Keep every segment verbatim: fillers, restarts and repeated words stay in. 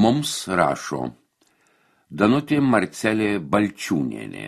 Mums rašo Danutė Marcelė Balčiūnienė.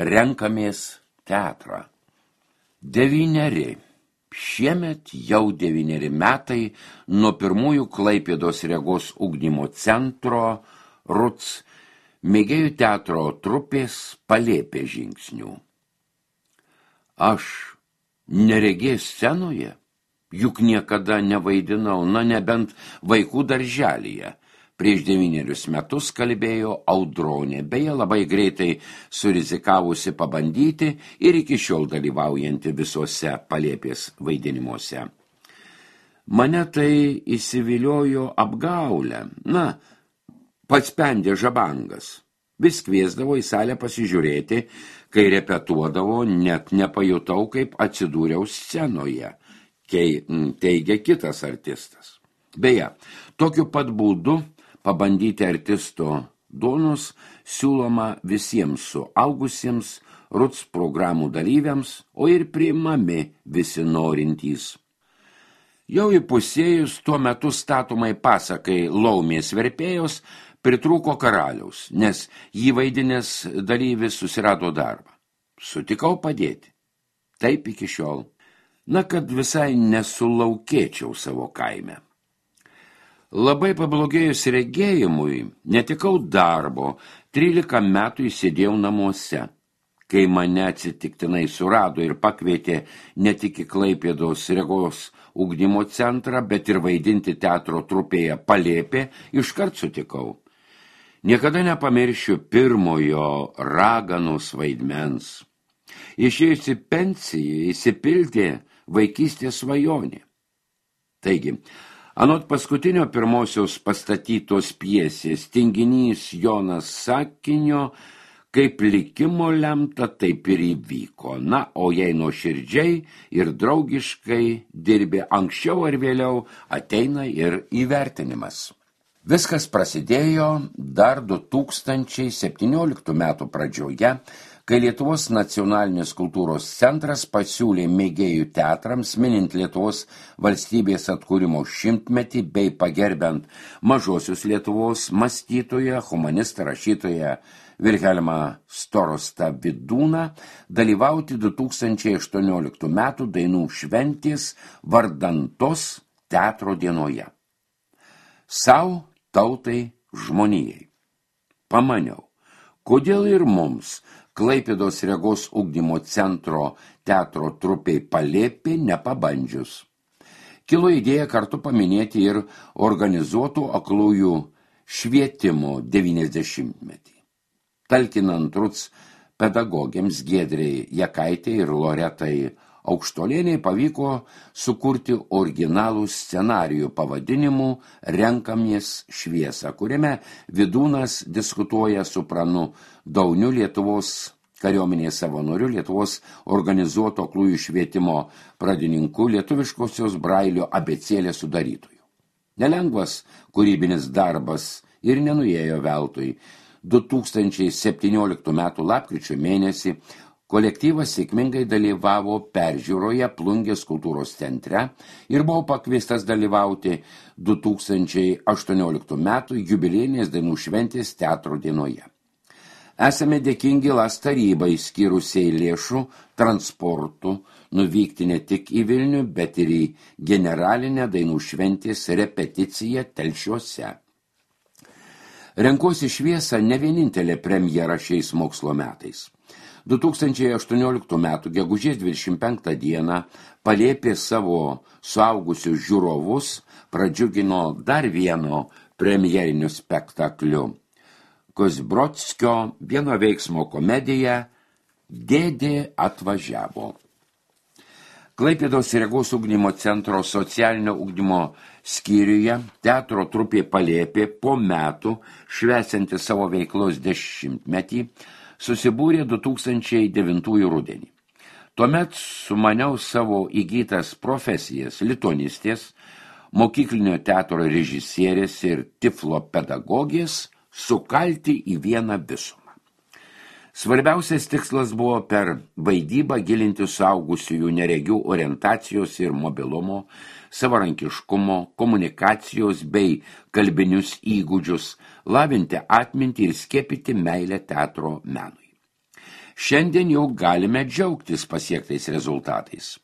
Renkamės teatrą. Devyneri. Šiemet jau devyneri metai nuo pirmųjų Klaipėdos regos ugdymo centro RUC mėgėjų teatro trupės Palėpė žingsnių. Aš neregės scenoje, juk niekada nevaidinau, na nebent vaikų darželyje. Prieš devynerius metus kalbėjo Audronė, beje labai greitai surizikavusi pabandyti ir iki šiol dalyvaujanti visuose Palėpės vaidinimuose. Mane tai įsiviliojo apgaulę, na, pats pendė žabangas. Vis kviesdavo į salę pasižiūrėti, kai repetuodavo, net nepajutau, kaip atsidūriau scenoje, kai teigia kitas artistas. Beje, tokiu pat būdu pabandyti artisto duonos siūloma visiems suaugusiems RUC programų dalyviams, o ir priimami visi norintys. Jau įpusėjus tuo metu statomai pasakai Laumės verpėjos pritrūko karaliaus, nes jį vaidinęs dalyvis susirado darbą. Sutikau padėti. Taip iki šiol. Na, kad visai nesulaukėčiau savo kaime. Labai pablogėjus regėjimui, netikau darbo, trylika metų įsėdėjau namuose. Kai mane atsitiktinai surado ir pakvietė ne tik į Klaipėdos regos ugdymo centrą, bet ir vaidinti teatro trupėje Palėpė, iškart sutikau. Niekada nepamiršiu pirmojo raganos vaidmens. Išėjusi pensiją įsipildė vaikystės svajonė. Taigi, anot paskutinio pirmosios pastatytos pjesės tinginys Jonas sakinio, kaip likimo lemta, taip ir įvyko. Na, o jei nuoširdžiai ir draugiškai dirbi, anksčiau ar vėliau ateina ir įvertinimas. Viskas prasidėjo dar du tūkstančiai septynioliktų metų pradžioje, kai Lietuvos nacionalinis kultūros centras pasiūlė mėgėjų teatrams, minint Lietuvos valstybės atkūrimo šimtmetį bei pagerbiant mažosios Lietuvos mąstytoją, humanistą, rašytoją Vilhelmą Storostą Vidūną, dalyvauti du tūkstančiai aštuonioliktų metų dainų šventės vardantos teatro dienoje. Sau, tautai, žmonijai. Pamaniau, kodėl ir mums Klaipėdos regos ugdymo centro teatro trupei Palėpė nepabandžius. Kilo idėja kartu paminėti ir organizuotų aklųjų švietimo devyniasdešimtmetį. Talkinant RUC pedagogėms Giedrei Jakaitei ir Loretai Aukštolienei pavyko sukurti originalų scenarijų pavadinimu Renkamies šviesą, kuriame Vidūnas diskutuoja su Pranu Dauniu, Lietuvos kariuomenės savanoriu, Lietuvos organizuoto aklųjų švietimo pradininku, lietuviškosios Brailio abėcėlės sudarytoju. Nelengvas kūrybinis darbas ir nenuėjo veltui. du tūkstančiai septynioliktų metų lapkričio mėnesį kolektyvas sėkmingai dalyvavo peržiūroje Plungės kultūros centre ir buvo pakviestas dalyvauti du tūkstančiai aštuonioliktų metų jubiliejinės dainų šventės teatro dienoje. Esame dėkingi LAS tarybai skyrusiai lėšų transportų nuvykti ne tik į Vilnių, bet ir į generalinę dainų šventės repeticiją Telšiuose. Renkuosi šviesą ne vienintelė premjera šiais mokslo metais. du tūkstančiai aštuonioliktų metų gegužės dvidešimt penktą dieną Palėpė savo suaugusius žiūrovus pradžiugino dar vieno premjeriniu spektakliu. Kozbrodskio vieno veiksmo komedija Dėdė atvažiavo. Klaipėdos regos ugdymo centro socialinio ugdymo skyriuje teatro trupė Palėpė po metų švęsianti savo veiklos dešimtmetį susibūrė du tūkstančiai devintųjų rudenį. Tuomet sumaniau savo įgytas profesijas lituanistės, mokyklinio teatro režisierės ir tiflo pedagogės sukalti į vieną visumą. Svarbiausias tikslas buvo per vaidybą gilinti suaugusiųjų neregių orientacijos ir mobilumo, savarankiškumo, komunikacijos bei kalbinius įgūdžius, lavinti atmintį ir skiepyti meilę teatro menui. Šiandien jau galime džiaugtis pasiektais rezultatais.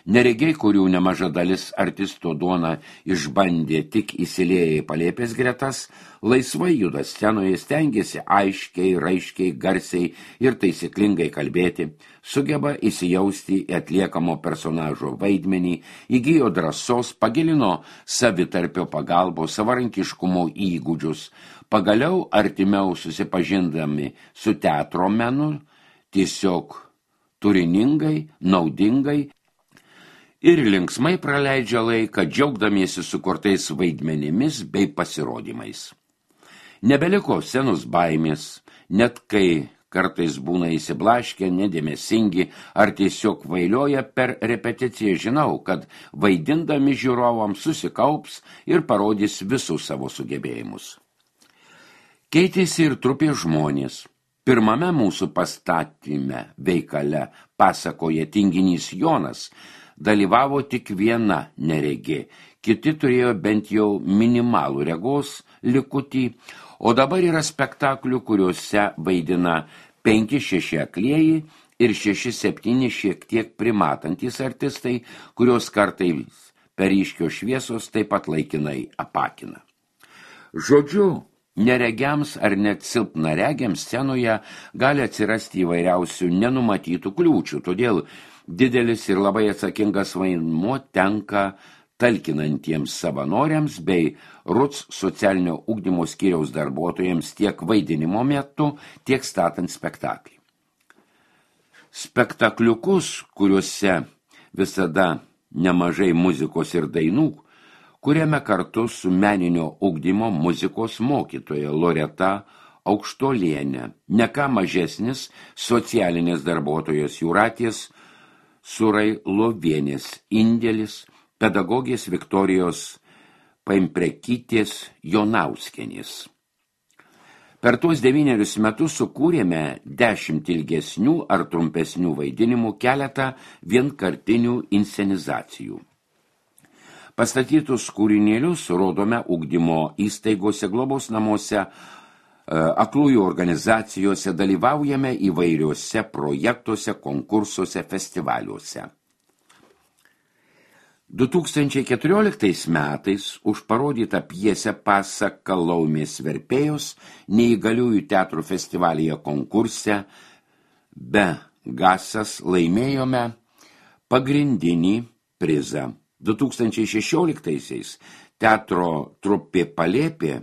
Neregiai, kurių nemaža dalis artisto duona išbandė tik įsilėję į Palėpės gretas, laisvai juda scenoje, stengiasi aiškiai, raiškiai, garsiai ir taisyklingai kalbėti, sugeba įsijausti į atliekamo personažo vaidmenį, įgijo drąsos, pagilino savitarpio pagalbos, savarankiškumo įgūdžius, pagaliau artimiau susipažindami su teatro menu, tiesiog turiningai, naudingai ir linksmai praleidžia laiką, džiaugdamiesi sukurtais vaidmenimis bei pasirodymais. Nebeliko scenos baimės, net kai kartais būna įsiblaškę, nedėmesingi ar tiesiog vailioja per repeticiją, žinau, kad vaidindami žiūrovams susikaups ir parodys visus savo sugebėjimus. Keitėsi ir trupė žmonės. Pirmame mūsų pastatyme veikale pasakoja tinginys Jonas, dalyvavo tik viena neregė, kiti turėjo bent jau minimalų regos likutį, o dabar yra spektaklių, kuriuose vaidina penki šeši aklieji ir šeši septyni šiek tiek primatantys artistai, kurios kartais per ryškios šviesos taip pat laikinai apakina. Žodžiu, neregiams ar net silpnaregiams scenoje gali atsirasti įvairiausių nenumatytų kliūčių, todėl didelis ir labai atsakingas vaidmuo tenka talkinantiems savanoriams bei R U C socialinio ugdymo skyriaus darbuotojams tiek vaidinimo metu, tiek statant spektaklį. Spektakliukus, kuriuose visada nemažai muzikos ir dainų, kuriame kartu su meninio ugdymo muzikos mokytoja Loreta Aukštolienė, ne ką mažesnis socialinės darbuotojos Jūratės Surailovienės indėlis, pedagogės Viktorijos Paimprekytės Jonauskienės. Per tuos devynerius metus sukūrėme dešimt ilgesnių ar trumpesnių vaidinimų, keletą vienkartinių inscenizacijų. Pastatytus kūrinėlius rodome ugdymo įstaigose, globos namuose, aklųjų organizacijose, dalyvaujame įvairiuose projektuose, konkursuose, festivaliuose. du tūkstančiai keturioliktais metais už parodytą pjesę Pasaka Laumės verpėjos neįgaliųjų teatrų festivalyje konkurse Be Gasas laimėjome pagrindinį prizą. du tūkstančiai šešioliktaisiais teatro trupė Palėpė,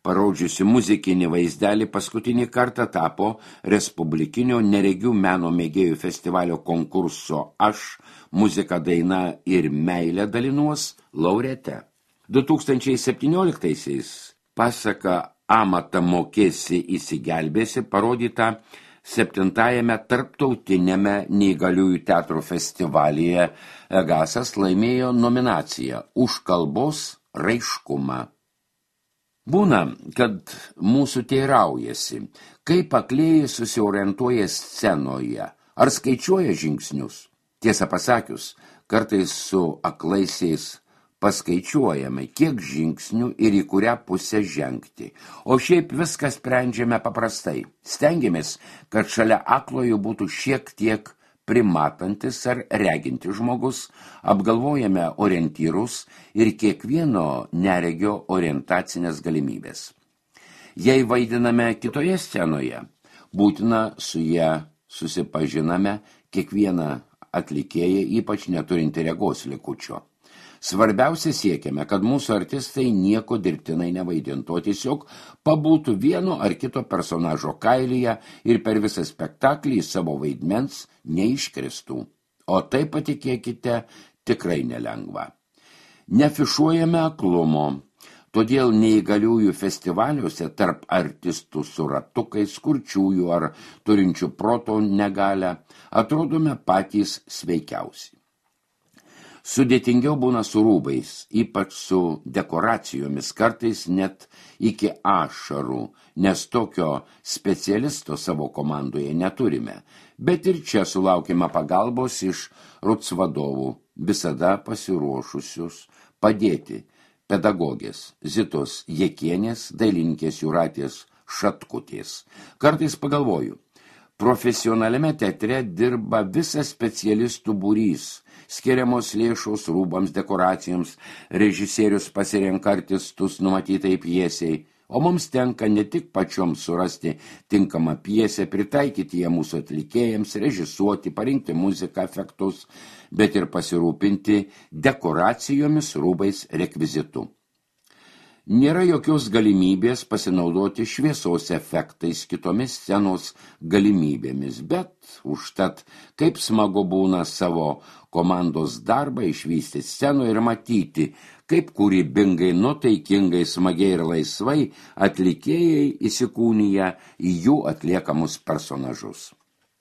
parodžiusi muzikinį vaizdelį, paskutinį kartą tapo Respublikinio neregių meno mėgėjų festivalio konkurso Aš, muzika, daina ir meilė dalinuos laureate. du tūkstančiai septynioliktaisiais Pasaka Amatą mokėsi įsigelbėsi parodyta septintajame tarptautiniame neįgaliųjų teatro festivalyje Gasas laimėjo nominaciją už kalbos raiškumą. Būna, kad mūsų teiraujasi, kaip aklieji susiorientuoja scenoje, ar skaičiuoja žingsnius. Tiesą pasakius, kartais su aklaisiais paskaičiuojame, kiek žingsnių ir į kurią pusę žengti. O šiaip viską sprendžiame paprastai. Stengiamės, kad šalia aklojų būtų šiek tiek primatantis ar regintis žmogus, apgalvojame orientyrus ir kiekvieno neregio orientacinės galimybės. Jei vaidiname kitoje scenoje, būtina su ją susipažiname kiekvieną atlikėją, ypač neturinti regos likučio. Svarbiausia siekiame, kad mūsų artistai nieko dirbtinai nevaidintų, o tiesiog pabūtų vieno ar kito personažo kailyje ir per visą spektaklį savo vaidmens neiškristų. O tai, patikėkite, tikrai nelengva. Nefišuojame aklumo, todėl neįgaliųjų festivaliuose tarp artistų su ratukais, kurčiųjų ar turinčių proto negalią atrodome patys sveikiausi. Sudėtingiau būna su rūbais, ypač su dekoracijomis, kartais net iki ašarų, nes tokio specialisto savo komandoje neturime. Bet ir čia sulaukime pagalbos iš RUTS vadovų, visada pasiruošusius padėti pedagogės Zitos Jekienės, dailininkės Jūratės Šatkutės. Kartais pagalvoju, profesionaliame teatre dirba visas specialistų būrys, skiriamos lėšos rūbams, dekoracijoms, režisierius pasirenka artistus numatytai pjesiai, o mums tenka ne tik pačioms surasti tinkamą pjesę, pritaikyti ją mūsų atlikėjams, režisuoti, parinkti muziką, efektus, bet ir pasirūpinti dekoracijomis, rūbais, rekvizitu. Nėra jokios galimybės pasinaudoti šviesos efektais, kitomis scenos galimybėmis, bet užtat kaip smagu būna savo komandos darbą išvysti scenoje ir matyti, kaip kūrybingai, nutaikingai, smagiai ir laisvai atlikėjai įsikūnija į jų atliekamus personažus.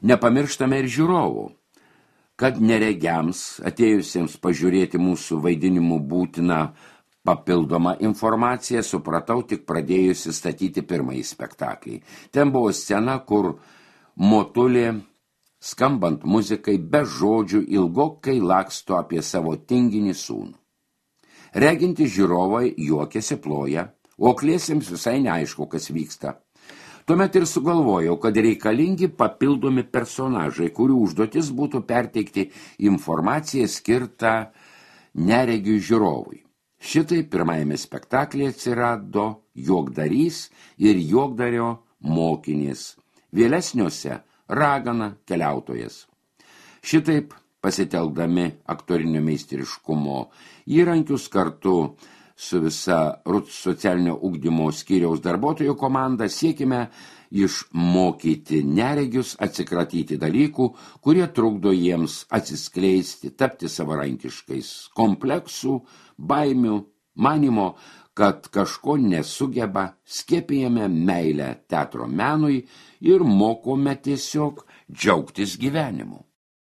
Nepamirštame ir žiūrovų, kad neregiams atėjusiems pažiūrėti mūsų vaidinimų būtina papildoma informacija supratau tik pradėjusi statyti pirmąjį spektaklį. Ten buvo scena, kur motulė, skambant muzikai, be žodžių ilgokai laksto apie savo tinginį sūnų. Reginti žiūrovai juokiasi, ploja, o akliesiems visai neaišku, kas vyksta. Tuomet ir sugalvojau, kad reikalingi papildomi personažai, kurių užduotis būtų perteikti informaciją skirtą neregiui žiūrovui. Šitai pirmajame spektaklyje atsirado juokdarys ir juokdario mokinys, vėlesniuose ragana keliautojas. Šitaip pasitelkdami aktorinio meistriškumo įrankius kartu su visa RUTS socialinio ugdymo skyriaus darbuotojų komanda siekime išmokyti neregius atsikratyti dalykų, kurie trukdo jiems atsiskleisti, tapti savarankiškais, kompleksų, baimių, manimo, kad kažko nesugeba, skiepijame meilę teatro menui ir mokome tiesiog džiaugtis gyvenimu.